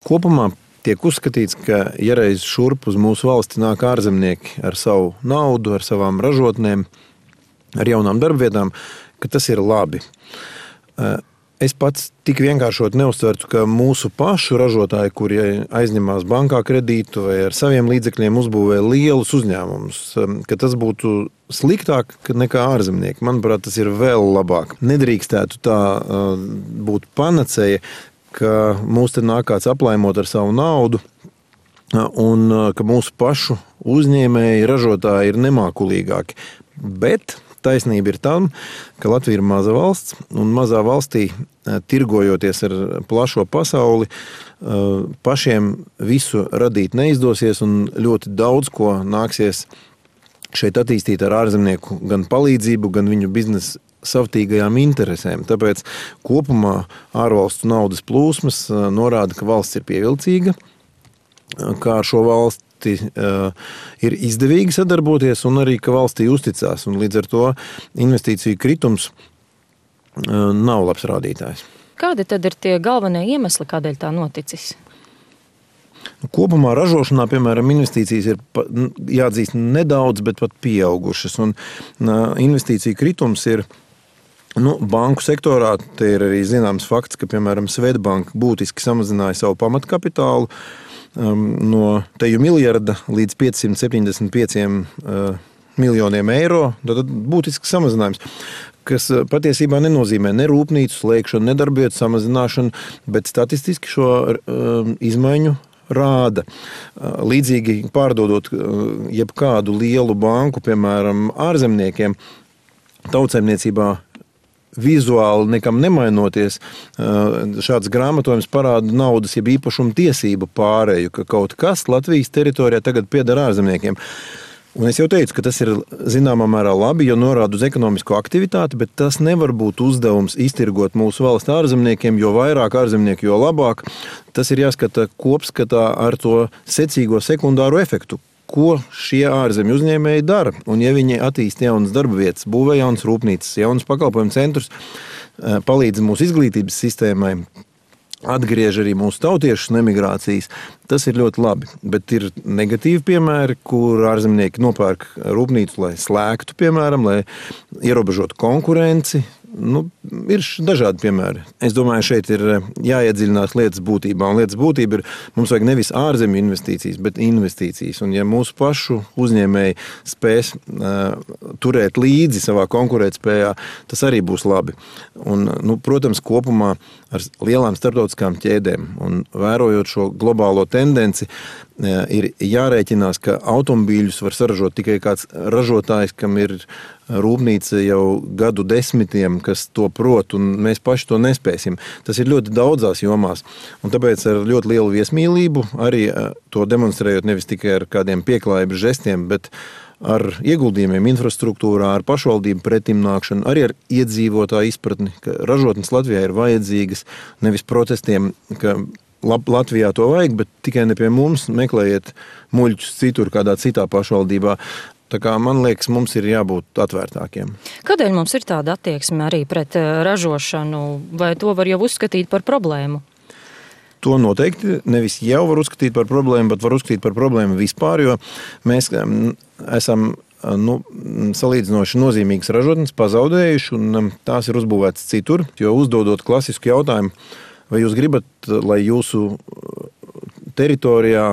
Kopumā tiek uzskatīts, ka ja reiz šurp uz mūsu valsti nāk ārzemnieki ar savu naudu, ar savām ražotnēm, ar jaunām darbvietām, ka tas ir labi. Es pats tik vienkāršot neuztvertu, ka mūsu pašu ražotāji, kuri aizņemās bankā kredītu vai ar saviem līdzekļiem uzbūvē lielus uzņēmumus, ka tas būtu sliktāk nekā ārzemnieki. Manuprāt, tas ir vēl labāk. Nedrīkstētu tā būt panacēja, ka mūs te nāk kāds aplaimot ar savu naudu un ka mūsu pašu uzņēmēji, ražotāji ir nemākulīgāki. Bet taisnība ir tam, ka Latvija ir maza valsts, un mazā valstī, tirgojoties ar plašo pasauli, pašiem visu radīt neizdosies, un ļoti daudz ko nāksies šeit attīstīt ar ārzemnieku gan palīdzību, gan viņu biznesa savtīgajām interesēm. Tāpēc kopumā ārvalstu naudas plūsmas norāda, ka valsts ir pievilcīga, kā ar šo valsti ir izdevīgi sadarboties un arī, ka valstī uzticās. Un līdz ar to investīciju kritums nav labs rādītājs. Kādi tad ir tie galvenie iemesli, kādēļ tā noticis? Kopumā ražošanā, piemēram, investīcijas ir jāatzīst nedaudz, bet pat pieaugušas. Un investīciju kritums ir banku sektorā. Te ir arī zināms fakts, ka, piemēram, Swedbank būtiski samazināja savu pamatkapitālu no teju miljarda līdz 575 miljoniem eiro. Tad būtisks samazinājums, kas patiesībā nenozīmē ne rūpnīcu slēgšanu, ne darbvietu samazināšanu, bet statistiski šo izmaiņu rāda. Līdzīgi pārdodot jebkādu lielu banku, piemēram, ārzemniekiem, tautsaimniecībā vizuāli nekam nemainoties, šāds grāmatojums parāda naudas, jeb īpašumu tiesību pārēju, ka kaut kas Latvijas teritorijā tagad pieder ārzemniekiem. Un es jau teicu, ka tas ir zināmā mērā labi, jo norāda uz ekonomisko aktivitāti, bet tas nevar būt uzdevums iztirgot mūsu valsts ārzemniekiem, jo vairāk ārzemnieku, jo labāk. Tas ir jāskata kopskatā ar to secīgo sekundāro efektu. Ko šie ārzemju uzņēmēji dara? Un ja viņi attīsta jaunas darba vietas, būvē jaunas rūpnīcas, jaunas pakalpojumu centrus, palīdz mūsu izglītības sistēmai, atgriež arī mūsu tautiešus no emigrācijas, tas ir ļoti labi. Bet ir negatīvi piemēri, kur ārzemnieki nopērk rūpnīcu, lai slēgtu, piemēram, lai ierobežotu konkurenci. Ir dažādi piemēri. Es domāju, šeit ir jāiedziļinās lietas būtībā. Un lietas būtība ir, mums vajag nevis ārzemju investīcijas, bet investīcijas. Un ja mūsu pašu uzņēmēji spēs turēt līdzi savā konkurētspējā, tas arī būs labi. Un, protams, kopumā ar lielām starptautiskām ķēdēm un vērojot šo globālo tendenci, ir jārēķinās, ka automobīļus var saražot tikai kāds ražotājs, kam ir rūpnīca jau gadu desmitiem, kas to prot, un mēs paši to nespēsim. Tas ir ļoti daudzās jomās. Un tāpēc ar ļoti lielu viesmīlību, arī to demonstrējot nevis tikai ar kādiem pieklājības žestiem, bet ar ieguldījumiem infrastruktūrā, ar pašvaldību pretimnākšanu, arī ar iedzīvotāju izpratni, ka ražotnes Latvijā ir vajadzīgas, nevis protestiem, ka Latvijā to vajag, bet tikai ne pie mums, meklējiet muļķus citur, kādā citā pašvaldībā. Tā kā man liekas, mums ir jābūt atvērtākiem. Kādēļ mums ir tāda attieksme arī pret ražošanu, vai to var jau uzskatīt par problēmu? To noteikti nevis jau var uzskatīt par problēmu, bet var uzskatīt par problēmu vispār, jo mēs esam salīdzinoši nozīmīgas ražotnes pazaudējuši, un tās ir uzbūvētas citur, jo uzdodot klasisku jautājumu, vai jūs gribat, lai jūsu teritorijā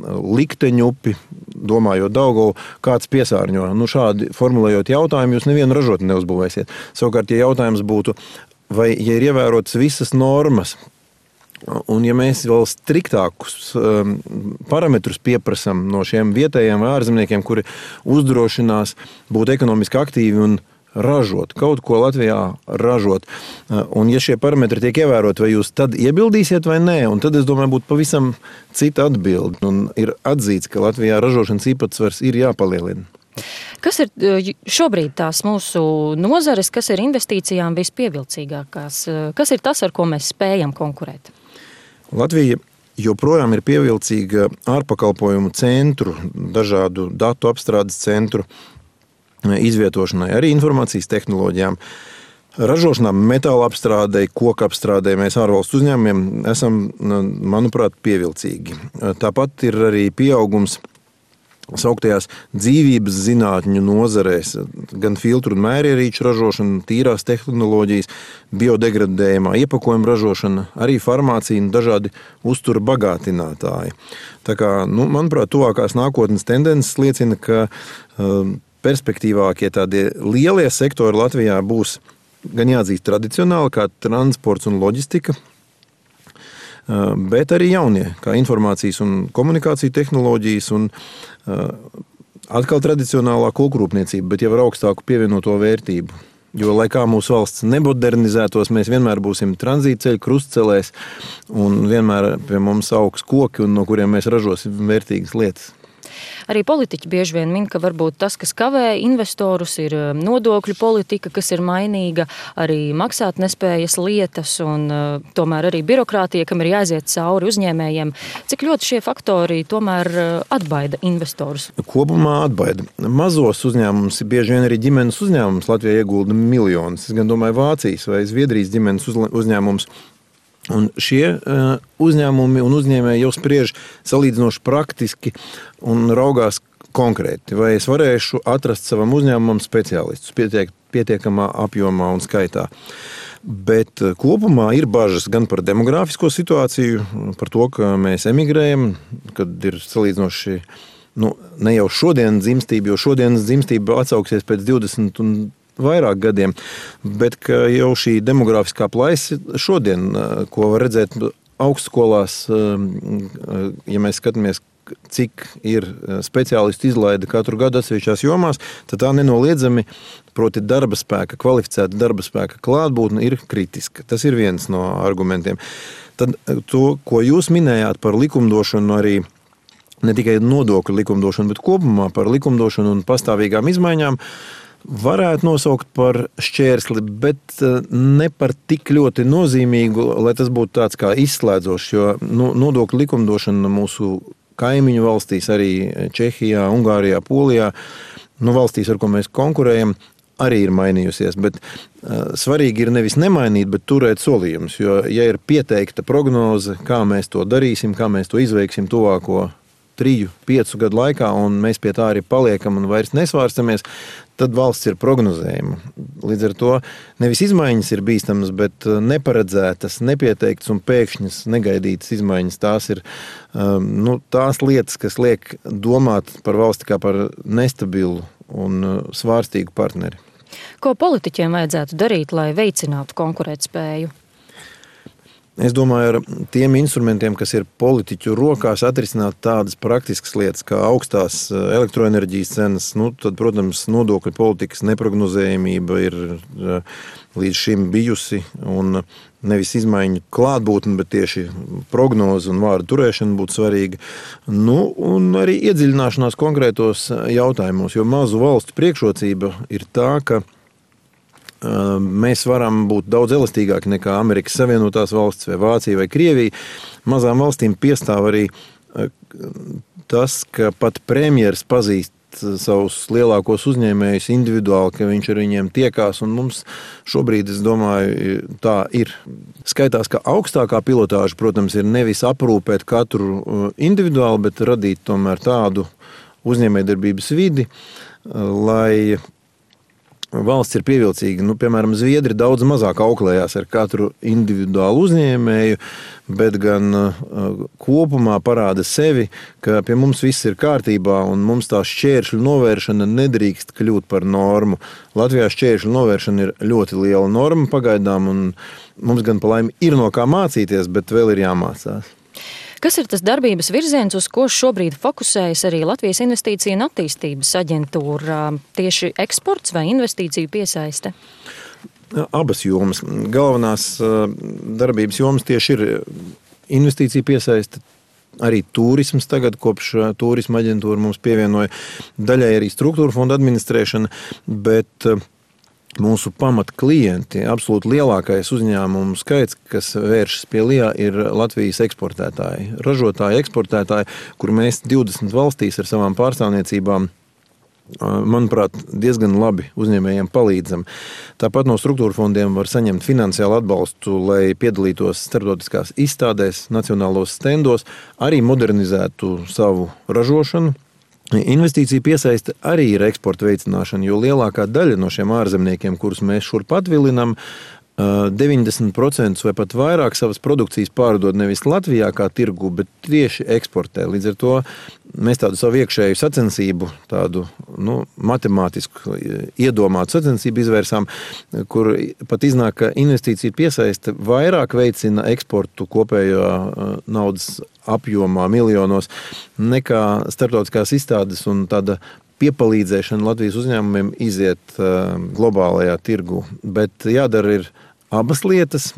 likteņupi, domājot Daugavu, kāds piesārņo. Šādi formulējot jautājumu, jūs nevienu ražotni neuzbūvēsiet. Savukārt, ja jautājums būtu, vai ja ir ievērotas visas normas, un ja mēs vēl striktākus parametrus pieprasam no šiem vietējiem vai ārzemniekiem, kuri uzdrošinās būt ekonomiski aktīvi un ražot, kaut ko Latvijā ražot. Un ja šie parametri tiek ievērot, vai jūs tad iebildīsiet vai nē, un tad, es domāju, būtu pavisam cita atbilde. Un ir atzīts, ka Latvijā ražošanas īpatsvars ir jāpalielina. Kas ir šobrīd tās mūsu nozares, kas ir investīcijām vispievilcīgākās? Kas ir tas, ar ko mēs spējam konkurēt? Latvija joprojām ir pievilcīga ārpakalpojumu centru, dažādu datu apstrādes centru izvietošanai, arī informācijas tehnoloģijām. Ražošanā, metāla apstrādē, koku apstrādē mēs ārvalstu uzņēmumiem esam, manuprāt, pievilcīgi. Tāpat ir arī pieaugums sauktajās dzīvības zinātņu nozarēs, gan filtru un mērierīču ražošana, tīrās tehnoloģijas, biodegradējumā iepakojuma ražošana, arī farmācija un dažādi uztura bagātinātāji. Tā kā, manuprāt, tuvākās nākotnes tendences liecina, ka perspektīvākie tādie lielie sektori Latvijā būs gan jāatzīst tradicionāli, kā transports un loģistika, bet arī jaunie, kā informācijas un komunikāciju tehnoloģijas un atkal tradicionālā kokrūpniecība, bet jau ar augstāku pievienoto vērtību. Jo, lai kā mūsu valsts nemodernizētos, mēs vienmēr būsim tranzītceļu krustcelēs un vienmēr pie mums augs koki, un no kuriem mēs ražosim vērtīgas lietas. Arī politiķi bieži vien min, ka varbūt tas, kas kavē investorus, ir nodokļu politika, kas ir mainīga, arī maksātnespējas lietas un tomēr arī birokrātija, kam ir jāiziet cauri uzņēmējiem. Cik ļoti šie faktori tomēr atbaida investorus? Kopumā atbaida. Mazos uzņēmumus, bieži vien arī ģimenes uzņēmumus Latvijā iegulda miljonus. Es gan domāju Vācijas vai Zviedrijas ģimenes uzņēmumus. Un šie uzņēmumi un uzņēmēji jau spriež salīdzinoši praktiski un raugās konkrēti, vai es varēšu atrast savam uzņēmumam speciālistus pietiekamā apjomā un skaitā. Bet kopumā ir bažas gan par demogrāfisko situāciju, par to, ka mēs emigrējam, kad ir salīdzinoši ne jau šodien dzimstība, jo šodienas dzimstība atsauksies pēc 20 un vairāk gadiem, bet ka jau šī demografiskā plaisa šodien, ko var redzēt augstskolās, ja mēs skatāmies, cik ir speciālistu izlaide katru gadu atsevišķās jomās, tad tā nenoliedzami, proti darba spēka, kvalificēta darba spēka klātbūtne ir kritiska. Tas ir viens no argumentiem. Tad to, ko jūs minējāt par likumdošanu arī, ne tikai nodokļu likumdošanu, bet kopumā par likumdošanu un pastāvīgām izmaiņām, varētu nosaukt par šķērsli, bet ne par tik ļoti nozīmīgu, lai tas būtu tāds kā izslēdzošs, jo nodokļu likumdošana mūsu kaimiņu valstīs, arī Čehijā, Ungārijā, Polijā, valstīs, ar ko mēs konkurējam, arī ir mainījusies, bet svarīgi ir nevis nemainīt, bet turēt solījumus, jo, ja ir pieteikta prognoze, kā mēs to darīsim, kā mēs to izveiksim tuvāko 3-5 gadu laikā, un mēs pie tā arī paliekam un vairs nesvārstamies, tad valsts ir prognozējama. Līdz ar to nevis izmaiņas ir bīstamas, bet neparedzētas, nepieteiktas un pēkšņas negaidītas izmaiņas. Tās ir tās lietas, kas liek domāt par valsti kā par nestabilu un svārstīgu partneri. Ko politiķiem vajadzētu darīt, lai veicinātu konkurētspēju? Es domāju, ar tiem instrumentiem, kas ir politiķu rokās, atrisināt tādas praktiskas lietas, kā augstās elektroenerģijas cenas, tad, protams, nodokļu politikas neprognozējamība ir līdz šim bijusi, un nevis izmaiņu klātbūtne, bet tieši prognoze un vārdu turēšana būtu svarīga. Un arī iedziļināšanās konkrētos jautājumos, jo mazu valstu priekšrocība ir tā, ka mēs varam būt daudz elastīgāki nekā Amerikas Savienotās valstis vai Vācija vai Krievija. Mazām valstīm piestāv arī tas, ka pat premjeras pazīst savus lielākos uzņēmējus individuāli, ka viņš ar viņiem tiekās, un mums šobrīd, es domāju, tā ir. Skaitās, ka augstākā pilotāža, protams, ir nevis aprūpēt katru individuāli, bet radīt tomēr tādu uzņēmējdarbības vidi, lai valsts ir pievilcīga. Piemēram, Zviedri daudz mazāk auklējās ar katru individuālu uzņēmēju, bet gan kopumā parāda sevi, ka pie mums viss ir kārtībā un mums tā šķēršļu novēršana nedrīkst kļūt par normu. Latvijā šķēršļu novēršana ir ļoti liela norma pagaidām, un mums gan pa laimi ir no kā mācīties, bet vēl ir jāmācās. Kas ir tas darbības virziens, uz ko šobrīd fokusējas arī Latvijas Investīcija un attīstības aģentūra? Tieši eksports vai investīciju piesaiste? Abas jomas. Galvenās darbības jomas tieši ir investīcija piesaiste, arī turisms tagad, kopš turisma aģentūra mums pievienoja, daļai arī struktūra fonda administrēšana, bet mūsu pamatklienti, absolūti lielākais uzņēmumu skaits, kas vēršas pie LIA, ir Latvijas eksportētāji, ražotāji, eksportētāji, kur mēs 20 valstīs ar savām pārstāvniecībām manuprāt, diezgan labi uzņēmējiem palīdzam. Tāpat no struktūra fondiem var saņemt finansiālu atbalstu, lai piedalītos starptautiskās izstādēs, nacionālos stendos, arī modernizētu savu ražošanu. Investīcija piesaiste arī ir eksporta veicināšana, jo lielākā daļa no šiem ārzemniekiem, kurus mēs šurp atvilinam, 90% vai pat vairāk savas produkcijas pārdod nevis Latvijā kā tirgu, bet tieši eksportē. Līdz ar to mēs tādu savu iekšēju sacensību, tādu matemātisku iedomātu sacensību izvērsām, kur pat iznāk, ka investīcija piesaiste vairāk veicina eksportu kopējo naudas apjomā miljonos nekā starptautiskās izstādes un tāda piepalīdzēšana Latvijas uzņēmumiem iziet globālajā tirgu. Bet jādara ir abas lietas.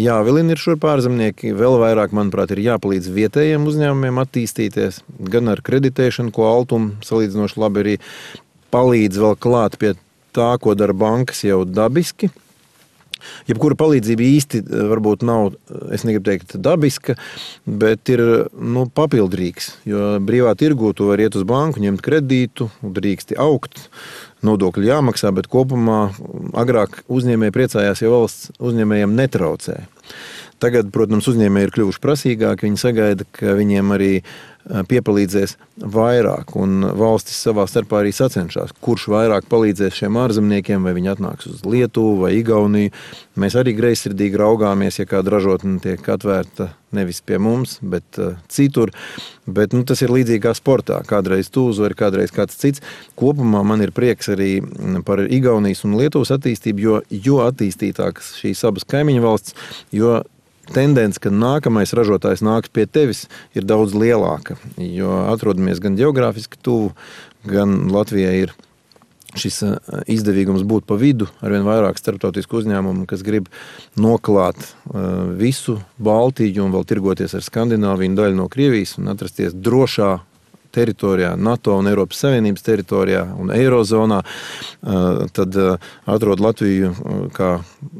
Jāvilina ir šurp ārzemnieki, vēl vairāk, manuprāt, ir jāpalīdz vietējiem uzņēmumiem attīstīties, gan ar kreditēšanu, ko Altum salīdzinoši labi arī palīdz vēl klāt pie tā, ko dara bankas jau dabiski. Jebkura palīdzība īsti varbūt nav, es negribu teikt, dabiska, bet ir papildrīgs, jo brīvā tirgū tu vari iet uz banku, ņemt kredītu, drīksti augt, nodokļi jāmaksā, bet kopumā agrāk uzņēmēji priecājās, ja valsts uzņēmējiem netraucē. Tagad, protams, uzņēmēji ir kļuvuši prasīgāki, viņi sagaida, ka viņiem arī piepalīdzēs vairāk, un valstis savā starpā arī sacenšās, kurš vairāk palīdzēs šiem ārzemniekiem, vai viņi atnāks uz Lietuvu vai Igauniju. Mēs arī greizsirdīgi raugāmies, ja kāda ražotne tiek atvērta nevis pie mums, bet citur. Bet tas ir līdzīgi kā sportā. Kādreiz tu uzvari, kādreiz kāds cits. Kopumā man ir prieks arī par Igaunijas un Lietuvas attīstību, jo attīstītākas šīs abas kaimiņu valsts, jo tendence, ka nākamais ražotājs nāks pie tevis, ir daudz lielāka, jo atrodamies gan geogrāfiski tuvu, gan Latvijai ir šis izdevīgums būt pa vidu, arvien vairāk starptautisku uzņēmumu, kas grib noklāt visu Baltiju un vēl tirgoties ar Skandināviju un daļu no Krievijas un atrasties drošā teritorijā, NATO un Eiropas Savienības teritorijā un Eirozonā, tad atrod Latviju kā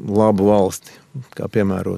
labu valsti, kā piemērot